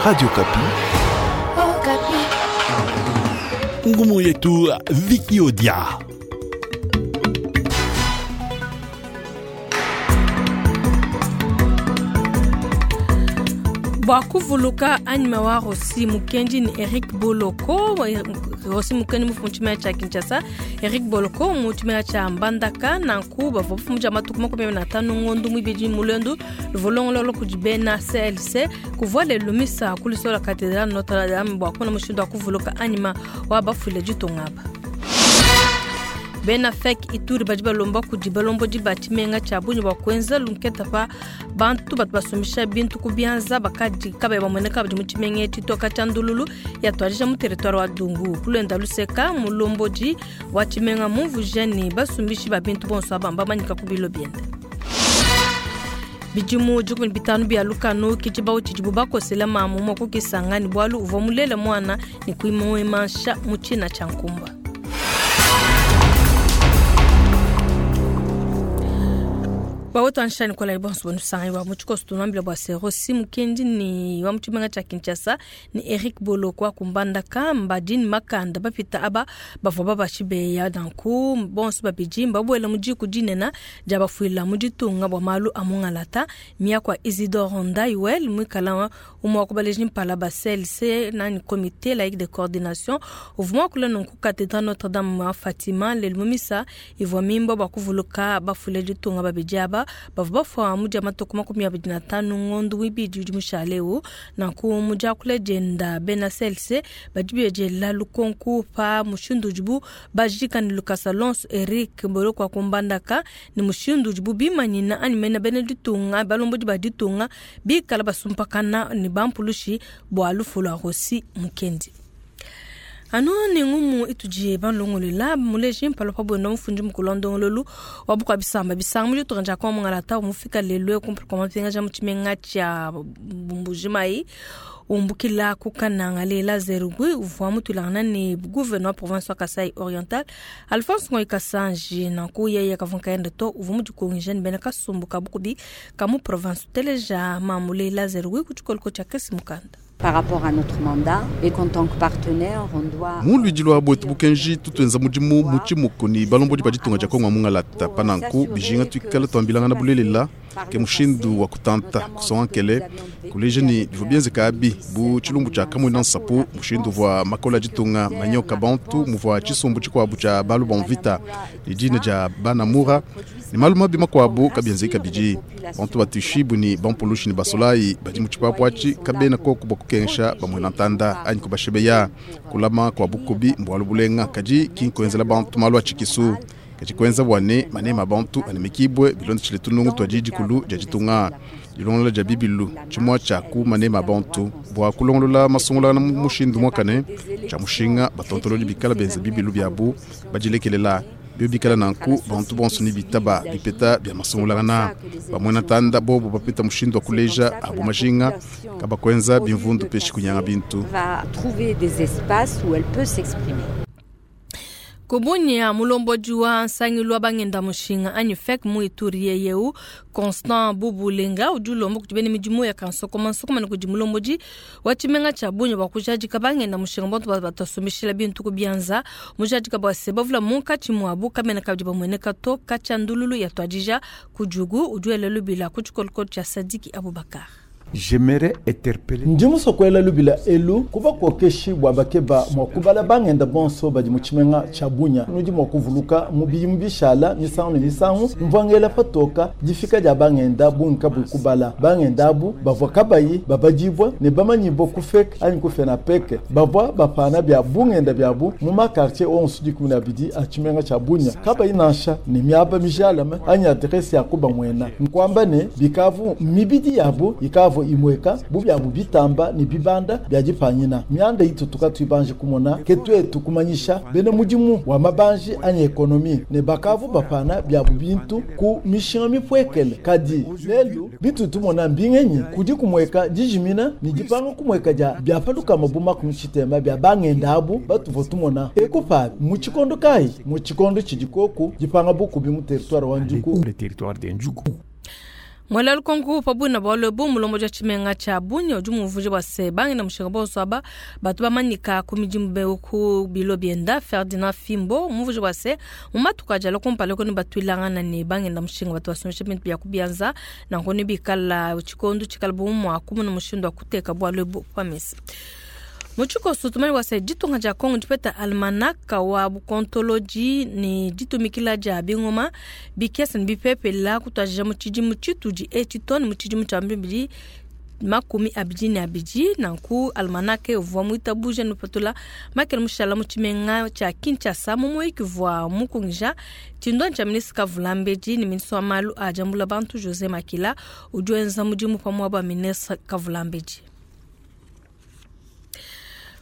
Radio Okapi. Ngumu yetu Viki Odia. Bua kuvuluka anyima wa Rossy Mukendi ne Eric Boloko. Rossy Mukendi mufu mu tshimenga tshia Kinshasa, Eric Boloko mu tshimenga tshia Mbandaka. Nanku bavua bafumuja matuku 25 ngondu muibidi mu luendu luvua longolola kudi bena CLC kuvua lelu misa ku lusola Cathedrale Notre Dame bua kumona mushindu wa kuvuluka anyima wa bafuile ditunga aba. Bena FEC Ituri badi balomba kudi balombodi ba tshimenga tshia Bunia bua kuenza lunketa pa bantu batu basumbisha bintu ku bianza bakadi kabayi bamueneka badi mu tshimenga etshi toka tshia ndululu yatuadija mu territoire wa Dungu. Kulwenda luseka mulombodi wa tshimenga mumvuija ne basumbishi ba bintu bonso aba mbamanyika ku bilo biende. Bidimu 15 bia lukanu ke tshibawu tshidibu bakosela mamu mua kukisanga ne bualu uvua mulele muana ne kuimuimansha mu tshina tshia nkumba. Bawetu anshani kola ibonso bonusanga wa mutshikoso tunambila bua se Rossy Mukendi ni wa mutshimenga tshia Kinshasa ni Eric Boloko wa kumbandaka mbadini makanda bapita aba bavua babashibeya danku bonso babidi mbabwela mu diku dinena dia bafuila mu ditunga bua malu a mungalata miakwa Isidore Ndaiwel mwikala wa umwe wa kubaleji mpala ba CLC nani comité laïque de coordination uvuma kula nunku cathédrale Notre Dame wa Fatima lelu mumisa ivua mimba bua kuvuluka bafuila ditunga babidi aba bavua bafua mu dia matuku 25 ngondu wibidi udi mushale eu. Nanku mu diakula dienda bena CLC badi biediela lukonku pa mushindu udibu bajika ne lukasa lonso Eric Boloko wa kumbandaka ne mushindu udibu bimanyina anyi mena bena ditunga balombodi ba ditunga bikala basumpakana ne bampulushi bua lufu lua Rossy Mukendi. Anu ne ngumu itudi balongolela muleji mpalo pa bwenda mufundi mukulu wa ndongololu wa bukua bisamba bisanga mu ditunga dia Kongo mungalata mufika lelu kumpala kua mapingaja mu tshimenga tshia Mbujimayi umbukila ku Kananga lela Zerugui uvua mutulangana ne gouverneur wa province wa Kasai Oriental Alphonse Ngoyi Kasanji. Nanku yeye kavua nkayende to uvua mudikungisha ne bena kasumbu ka bukubi ka mu province uteleja mamu lela Zerugui ku tshikoliko tshia Kesi Mukanda. Par rapport à notre mandat et qu'en tant que partenaire, on doit Mu luidi lwa bwetu bukenji tutuenza mudimu mu tshimuku ni balombodi ba ditunga dia Kongo mungalata pananku bijinga tuikala tuambilangana bulelela ke mushindu wa kutanta kusonga nkele kuleja ni bivua bienzeka abi bu tshilumbu tshia Kamuina Nsapu mushindu uvua makola ditunga manyoka bantu muvua tshisumbu tshikuabu tshia balu ba mvita ne dina dia Banamura ne malu mabi makuabu kabienzeka bidi bantu batushibu ni bampulushi ni basolayi badi mu tshipapu atshi kabena koku bua kukengesha bamuena ntanda anyi kubashebeya kulama kwa bukubi mbualu bulenga kadi kinkuenzela bantu malu atshikisu kadi kuenza bua ne manema bantu anemekibwe bilondeshile tunungu tua didikulu dia ditunga dilongolola dia bibilu tshimua tshia ku manema bantu bua kulongolola masungulana mu mushindu muakane tshia mushinga batontololi bikala benza bibilu biabu badilekelela bio bikala nanku bantu bonso ni bitaba bipeta bia masungulana bamuena ntanda bobo bapeta mushindu wa kuleja abo majinga kabakwenza bimvundu peshi kunyanga bintu. Va trouver des espaces où elle peut s'exprimer. Kubunya mulombodi wa nsangilu wa bangenda mushinga anyi FEC mu Ituri yeyeu Constant Bubulenga udi ulomba kudi bena midimu ya kansokoma nsokoma ne kudi mulombodi wa tshimenga tshia Bunia bua kujadika bangenda mushinga bantu batasumbishila bintu ku bianza mujadika bua se bavula munkatshi muabu kamena kabidi bamueneka to katshia ndululu ya tuadija ku Djugu udi wela lubila ku tshikolikoli tshia Sadiki Abubakar. J'aimerais interpeller Ndi musokoela lubila elu kuba kokeshi bua bakeba mua kubala bangenda bonso badi mu tshimenga tshia Bunia nudi mua kuvuluka mu bidimu bishala misangu ne misangu mvua patoka difika dia bangenda bungi kabuyi kubala bangenda abu bavua kabayi babadibwa ne bamanyibwa ku FEC anyi ku FENAPEC bavua bapana bia bungenda biabu mu makartier onso 12 a tshimenga tshia Bunia kabayi nansha ne miaba mijalame anyi adresse ya kubamuena nkwamba ne bikavu mibidi yabu ikavu imweka bubyabu bitamba ne bibanda bya dipanyina myanda itutuka tuibanje kumona ke twetu kumanyisha bene mudimu wa mabanji anyi ekonomi ne bakavu bapana byabu bintu ku mishinga mipwekele kadi lelu bitu tumona mbingenyi kudi kumweka dijimina ni dipanga kumweka dia byapaluka mabuma ku mishitema bya bangenda abu batuvo tumona ekupa mu tshikondo kayi mu tshikondo tshidi koku dipanga bukubi mu territoire wa Djugu. Le territoire de Djugu. Mwela lukonko pabwina bwalo bu mulombo ja tshimenga tsha Bunia udi mumvuje bua se bangenda mushinga bonso aba batu bamanyika ku midimu be ku bilo bienda. Ferdinand Fimbo mumvuje bua se mu matuku ajala kumpala kuni batuilangana ne bangenda mushinga batu basumisha bintu bia kubianza nanku ne bikala tshikondo tshikala bu mua kumuna mushindu wa kuteka bwalo bu pamisa. Muchikoso tumani wasa ditunga dia Kongo dipeta almanaka wa bukontoloji ni ditumikila dia bingoma bikesa ni bipepela kutwajija mu tshidimu tshitudi etshi to ne mu tshidimu tshia 2022. Nanku almanaka uvua muitabuja nupatula makele mushala mu tshimenga tshia Kinshasa mu muyiki uvua mukungija tshindua tshia ministre Kavulambedi ne ministre wa malu a diambula bantu José Makila udi wenza mudimu pamue ba ministre Kavulambedi.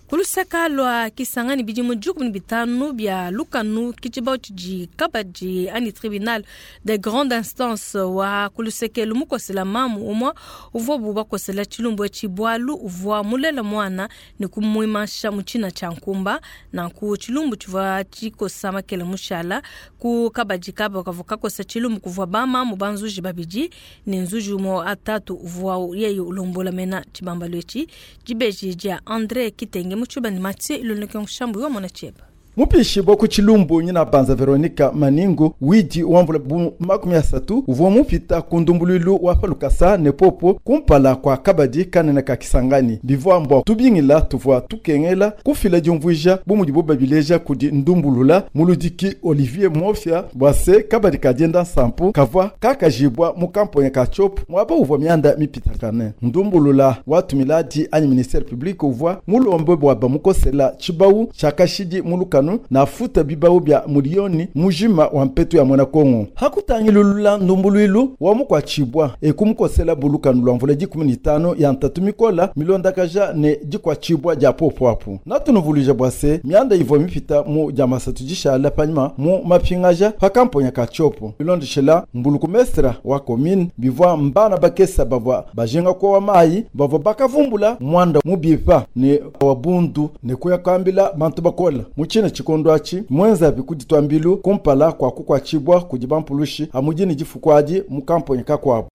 Kuluseka lwa Kisangani bidimu 15 bya lukanu kitshibao tshidi kabadi ani tribunal de grande instance wa kuluseke lumukosela mamu umwa uvua bubakosela tshilumbu tshibwalu uvua mulela mwana ne kumwimasha mutshina tshia nkumba. Nanku tshilumbu tshivua tshikosa makele mushala ku kabadi kaba kavua kakosa tshilumbu kuvua bamamu banzuji babidi ne nzuji umwe atatu uvua yeye ulombola mena tshibambalo etshi dibeji dia André Kitenge muchuba ni Mathieu iloneke nshambu yo mona cheba. Mupishi bwa ku tshilumbu nyina banza Veronica Maningo widi wamvula bu 30 uvua mupita ku ndumbuluilu wa palukasa ne popo kumpala kwa kabadi kanene ka Kisangani bivua mbwa tubingila tuvua tukengela kufila diumvuija bu mudibo babileja kudi ndumbulula muludiki Olivier Mofia bwa se kabadi kadienda nsampu kavua kakajibwa mu kamponya ka Tshopo mwaba uvua mianda mipitakane. Ndumbulula watumiladi anyi ministère public uvua mulombe bwa bamukosela tshibau tshakashidi mulukanu na futa bibao bya milioni mujima wa mpetu ya mwana Kongo. Hakutangilulula ndumbuluilu wa mukwachibwa ekumukosela bulukanu lwa mvula 15 ya ntatu mikola milondakaja ne dikwachibwa dia popo apu. Natunuvuluja bwa se mianda ivua mipita mu dia masatu dishala panyima mu mapingaja pa kamponya ka Tshopo. Bilondeshela mbulukumestra wa commune bivua mbana bakesa bavua bajenga kwa wa mayi bavua bakavumbula mwanda mubipa ne wabundu ne kuyakambila bantu bakola muchina tshikondo atshi mwenza bikuditwambilu kumpala kwa kukwachibwa kudi bampulushi amujini difukwadi mu kamponyi kakwabo.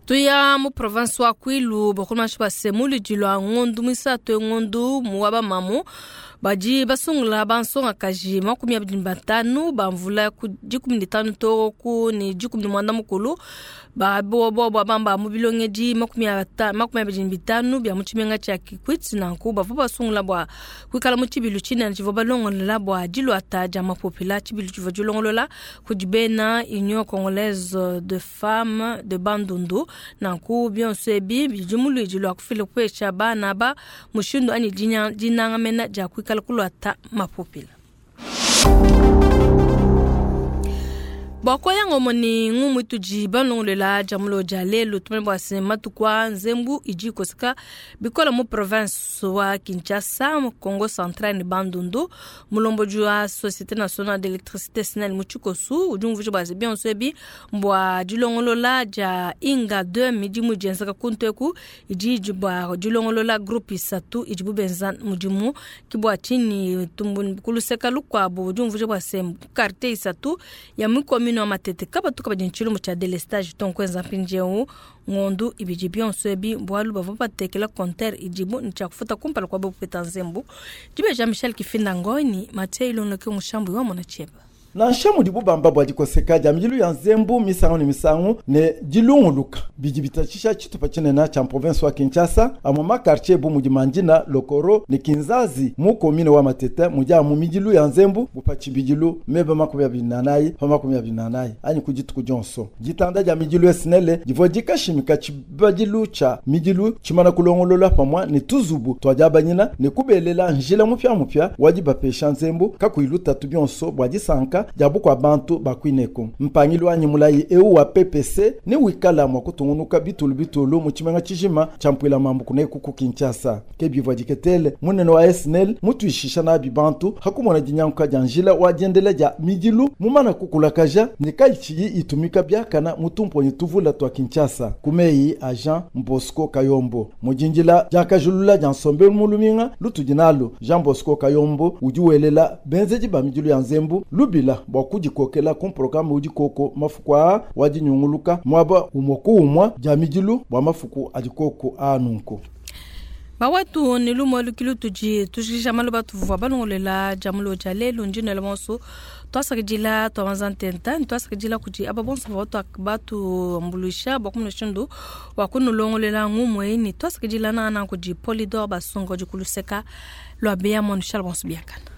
Tuya mu province wa Kwilu bakomashi basemuli dilwa ngondu misato ngondu muwaba mamu badi basungula bansonga kaji 25 bamvula ku 15 to ku ni 18 ba bo bamba mu bilongedi 25 bya mu tshimenga tshia Kikwit nanku bavua basungula bwa kwikala mu tshibilu tshinene tshivua balongolola bwa dilwata dia mapopela. Tshibilu tshivua dilongolola kudi bena Union Congolaise de Femmes de Bandundu nanku bionso ebi bidi muluidi lwa kufila kupesha bana ba mushindu anyi dinangamena dia kwikala kulwata mapopela. Bwako yango moni ngumu tuji balongolela jamulo ja lelo tumene bwa se matukwa nzembu iji koseka bikola mu province wa Kinshasa mu Congo Central ni Bandundu mulombo jwa Société Nationale d'Électricité SNEL mu Tshikosu udi umvuja bwa se bionso ebi mbwa dilongolola ja Inga 2 midi mu jenzaka kunteku iji bwa dilongolola groupe isatu iji bubenza mudimu kibwa chini tumbu kuluseka lukwabo udi umvuja bwa se quartier isatu ya mikomi no matete kaba tuka badinchilu mu cha delestage tonkwenza mpinjeu ngondu ibiji bionso ebi bwalu bava batekela compteur ijibu ncha kufuta kumpala kwa bopeta nzembu jibe Jean Michel Kifinda ngoni Mathieu Ilonloke mushambu wa mona cheba. Nansha mudi bubamba bwa dikoseka dia midilu ya nzembu misangu ne misangu ne dilunguluka bidi bitatshisha tshitupa tshinene tshia province wa Kinshasa amwe ma quartier bu mudi Mandina, Lokoro ne Kinzazi mu commune wa Matete mudi amu midilu ya nzembu bupa tshibidilu meba 24 pa 24 anyi ku dituku dionso. Ditanda dia midilu ya SNEL divua dikashimika tshibadilu tshia midilu tshimana kulongolola pamwa ne tuzubu twa diabanyina ne kubelela njila mupya wa dibapesha nzembu kakuyi lutatu bionso bua disanka jabu kwa bantu bakwineko. Mpangilu anyi mulayi eu wa PPC ne wikala mwa kutungunuka bitulu bitulu mu tshimenga tshijima tshia mpwila mambu kuneku ku Kinshasa. Ke bivua diketele munene wa SNEL mutuishisha nabi bantu hakumona dinyanguka dia njila wa diendela dia midilu mumana kukulakaja ne kayitshiyi itumika biakana mutumponyi tuvula twa Kinshasa. Kumeyi a Jean Bosco Kayombo mujinjila diakajulula dia nsombelu muluminga lutudi nalu. Jean Bosco Kayombo udi welela benzeji ba midilu ya nzembu lubila Tubabila bua kudikokela ku programe udi koko mafuku aa wa dinyunguluka muaba umue ku umue dia midilu bua mafuku adi koko aa nunku. Bawetu ne lumu lukilu tudi tujikija malu batuvua balongolela dia mulo dia lelu ndinela bonso twasakidila twabanza ntenta ne twasakidila kudi aba bonso bavua batuambuluisha bua kumona mushindu wa kunulongolela ngumue ne twasakidila nangananga kudi Polydor Basongo udi ku luseka lua Bea Mwanushala bonso biakana.